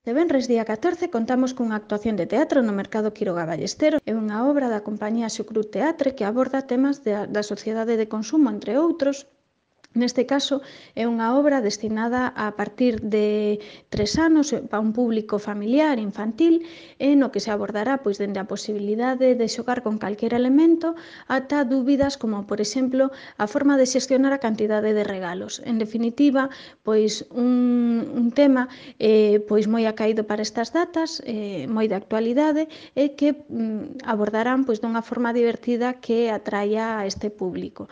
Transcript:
De venres día 14 contamos cunha actuación de teatro no Mercado Quiroga Ballesteros. É unha obra da compañía Xucrut Teatre que aborda temas da sociedade de consumo, entre outros. Neste caso, é unha obra destinada a partir de 3 anos para un público familiar, infantil, no que se abordará dende a posibilidade de xogar con calquera elemento ata dúbidas como, por exemplo, a forma de xestionar a cantidade de regalos. En definitiva, un tema moi acaído para estas datas, moi de actualidade, e que abordarán dunha forma divertida que atraia a este público.